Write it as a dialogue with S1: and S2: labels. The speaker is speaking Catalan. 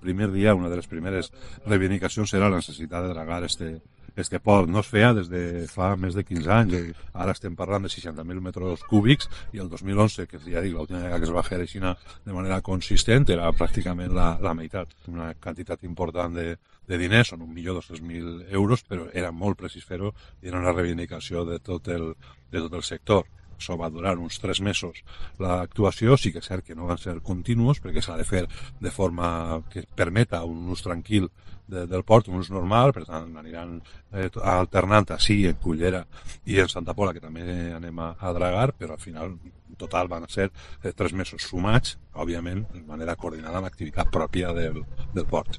S1: primer dia, una de les primeres reivindicacions era la necessitat de dragar este port. No es feia des de fa més de 15 anys, ara estem parlant de 60.000 metres cúbics, i el 2011, que ja dic, l'última vegada que es va fer així de manera consistent, era pràcticament la meitat. Una quantitat important de diners, són 1.200.000 euros, però era molt precís fer-ho i era una reivindicació de tot el sector. Això va durar uns 3 mesos. L'actuació sí que és cert que no van ser continuos, perquè s'ha de fer de forma que permeta un ús tranquil del port, un ús normal, per tant aniran alternant així en Cullera i en Santa Pola, que també anem a dragar, però al final en total van ser 3 mesos sumats, òbviament de manera coordinada amb l'activitat pròpia del port.